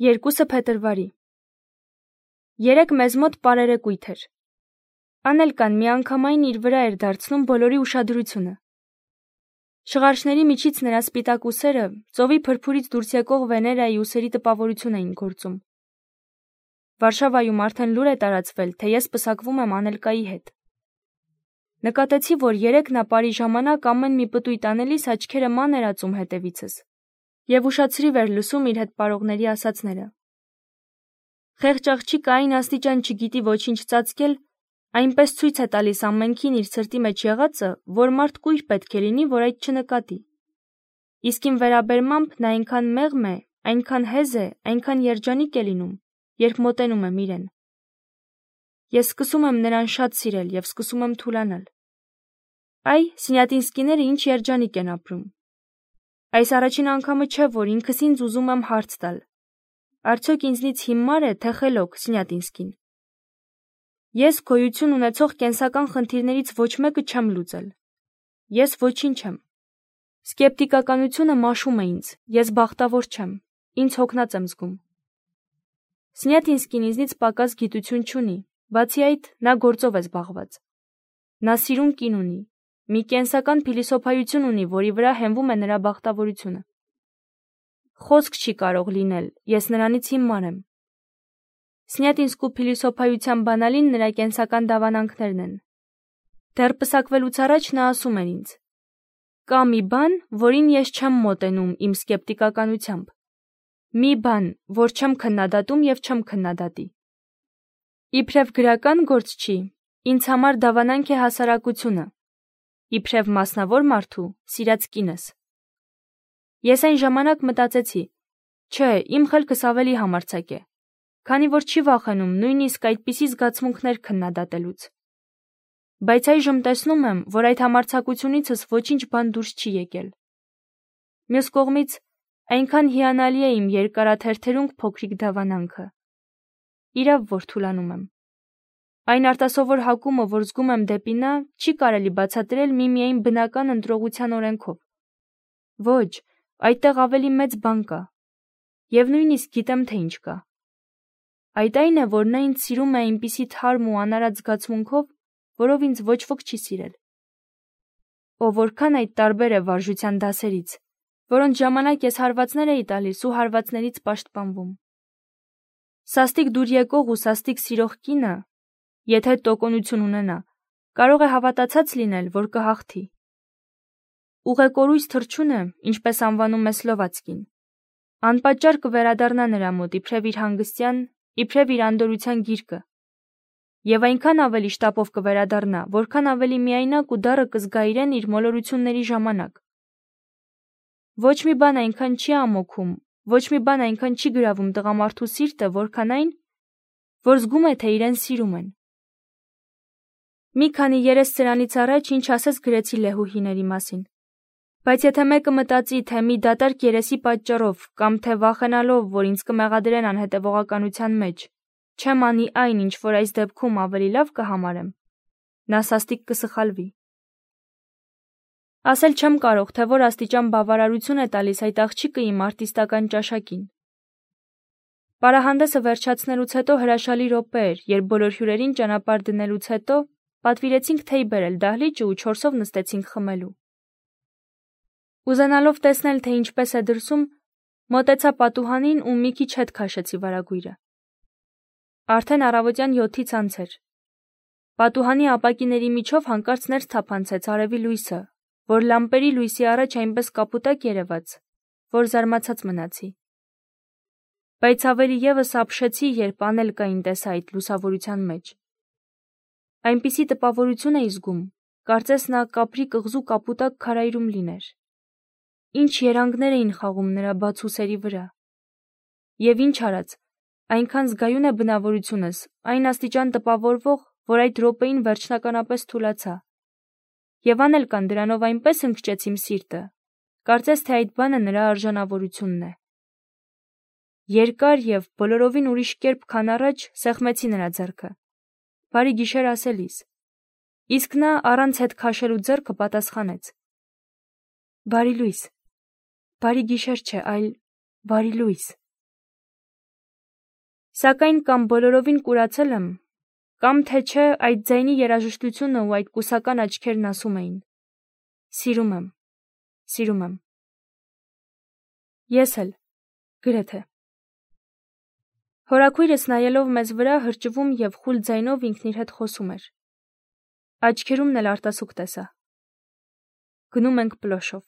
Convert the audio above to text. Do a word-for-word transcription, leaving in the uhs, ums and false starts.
Երկուսը փետրվարի։ Երեկ մեզ մոտ պարերեկույթ էր։ Անելկան միանգամայն իր վրա էր դարձնում բոլորի ուշադրությունը։ Շղարշների միջից նրա սպիտակ ուսերը ծովի փրփուրից դուրս եկող Վեներայի ուսերի տպավորություն էին գործում։ Վարշավայում արդեն լուր է տարածվել, թե ես պսակվում եմ Անելկայի հետ։ Նկատեցի, որ երեկ նա պարի ժամանակ ամեն մի պտույտ անելիս աչքերը ման էր ածում հետևիցս, և ուշացրիվ էր լսում իր հետ պարողների ասածները։ Խեղճ աղջիկը այն աստիճան չգիտի ոչինչ ծածկել, այնպես ցույց է տալիս ամենքին իր սրտի մեջ եղածը, որ մարդ կույր պետք է լինի, որ այդ չնկատի։ Իսկ իմ վերաբերմամբ նա այնքան մեղմ է, այնքան հեզ է, այնքան երջանիկ է լինում, երբ մոտենում եմ իրեն։ Ես սկսում եմ նրան շատ սիրել և սկսում եմ թուլանալ։ Այ, Սինյատինսկիները ինչ երջանիկ են ապրում։ Այս առաջին անգամը չէ, որ ինքս ինձ ուզում եմ հարց տալ. արդյոք ինձնից հիմար է, թե խելոք Սինյատինսկին։ Ես գոյություն ունեցող կենսական խնդիրներից ոչ մեկը չեմ լուծել։ Ես ոչինչ եմ։ Սկեպտիկականությունը մաշում է ինձ, ես բախտավոր չեմ, ինձ հոգնած եմ զգում։ Սինյատինսկին ինձնից պակաս գիտություն չունի, բացի այդ, նա գործով է զբաղված։ Նա սիրուն կին ունի, մի կենսական փիլիսոփայություն ունի, որի վրա հենվում է նրա բախտավորությունը։ Խոսք չի կարող լինել, ես նրանից հիմար եմ։ Սինյատինսկու փիլիսոփայության բանալին նրա կենսական դավանանքներն են։ Դեռ պսակվելուց առաջ նա ասում էր ինձ. կա մի բան, որին ես չեմ մոտենում իմ սկեպտիկականությամբ։ Մի բան, որ չեմ քննադատում և չեմ քննադատի։ Իբրև գրական գործ չի, ինձ համար դավանանք է հասարակությունը, իբրև մասնավոր մարդու սիրած կինս։ Ես այն ժամանակ մտածեցի, չէ, իմ խելքս ավելի համարձակ է, քանի որ չի վախենում նույնիսկ այդպիսի զգացմունքներ քննադատելուց։ Բայց այժմ տեսնում եմ, որ այդ համարձակությունիցս ոչինչ բան դուրս չի եկել։ Մյուս կողմից, այնքան հիանալի է իմ երկարաթերթերունկ փոքրիկ դավանանքը։ Իրավ, որ թուլանում եմ։ Այն արտասովոր հակումը, որ զգում եմ դեպի նա, չի կարելի բացատրել միմիայն բնական ընտրողության օրենքով։ Ոչ, այդտեղ ավելի մեծ բան կա։ Եվ նույնիսկ գիտեմ, թե ինչ կա։ Այդ այն է, որ նա ինձ սիրում է այնպիսի թարմ ու անարատ զգացմունքով, որով ինձ ոչ ոք չի սիրել։ Ո որքան այդ տարբեր է վարժության դասերից, որոնց ժամանակ ես հարվածներ էի տալիս ու հարվածներից պաշտպանվում։ Սաստիկ դուր եկող ու սաստիկ սիրող կինը, եթե տոկունություն ունենա, կարող է հավատացած լինել, որ կհաղթի։ Ուղեկորույս թռչունը, ինչպես անվանում է Սլովացկին, անպատճառ կվերադառնա նրա մոտ իբրև իր հանգստյան, իբրև իր անդորրության գիրկը, և այնքան ավելի շտապով կվերադառնա, որքան ավելի միայնակ ու դառը կզգա իրեն իր մոլորությունների ժամանակ։ Ոչ մի բան այնքան չի ամոքում, ոչ մի բան այնքան չի գրավում տղամարդու սիրտը, որքան այն, որ զգում է, թե իրեն սիրում են։ Մի քանի երես սրանից առաջ ինչ ասես գրեցի Լեհուհիների մասին։ Բայց եթե մեկը մտածի, թե մի դատարկ երեսի պատճառով, կամ թե վախենալով, որ ինձ կմեղադրեն անհետևողականության մեջ, չեմ անի այն, ինչ որ այս դեպքում ավելի լավ կհամարեմ, նա սաստիկ կսխալվի։ Ասել չեմ կարող, թե որ աստիճան բավարարություն է տալիս այդ աղջիկը իմ արտիստական ճաշակին։ Պարահանդեսը վերջացնելուց հետո հրաշալի րոպե էր, երբ բոլոր հյուրերին ճանապարհ դնելուց հետո պատվիրեցինք թեյ բերել դահլիճը ու չորսով նստեցինք խմելու։ Ուզենալով տեսնել, թե ինչպես է դրսում, մոտեցա պատուհանին ու մի քիչ հետ քաշեցի վարագույրը։ Արդեն առավոտյան յոթից անց էր։ Պատուհանի ապակիների միջով հանկարծ ներս թափանցեց արևի լույսը, որ լամպերի լույսի առաջ այնպես կապուտակ երևաց, որ զարմացած մնացի։ Բայց ավելի ևս ապշեցի, երբ Անելկային տեսա այդ լուսավորության մեջ։ Այնպիսի տպավորություն էի զգում, կարծես նա կապրի կղզու կապուտակ քարայրում լիներ։ Ինչ երանգներ էին խաղում նրա բաց ուսերի վրա։ Եվ ինչ արած, այնքան զգայուն է բնավորությունս, այն աստիճան տպավորվող, որ այդ րոպեին վերջնականապես թուլացա։ Եվ Անելկան դրանով այնպես ընկճեց իմ սիրտը, կարծես թե այդ բանը նրա արժանավորությունն է։ Երկար և բոլորովին ուրիշ կերպ, քան առաջ, սեղմեցի նրա ձեռքը, բարի գիշեր ասելիս, իսկ նա առանց հետ քաշելու ձեռքը պատասխանեց. Բարի լույս, բարի գիշեր չէ, այլ բարի լույս։ Սակայն կամ բոլորովին կուրացել եմ, կամ թե չէ այդ ձայնի երաժշտությունը ու այդ կուսական աչքերն ասում էին. սիրում եմ, սիրում եմ։ Ես էլ, գրեթե։ Հորաքույրս նայելով մեզ վրա հրճվում և խուլ ձայնով ինքն իր հետ խոսում էր։ Աչքերումն էլ արտասուք տեսա։ Գնում ենք Պլոշով։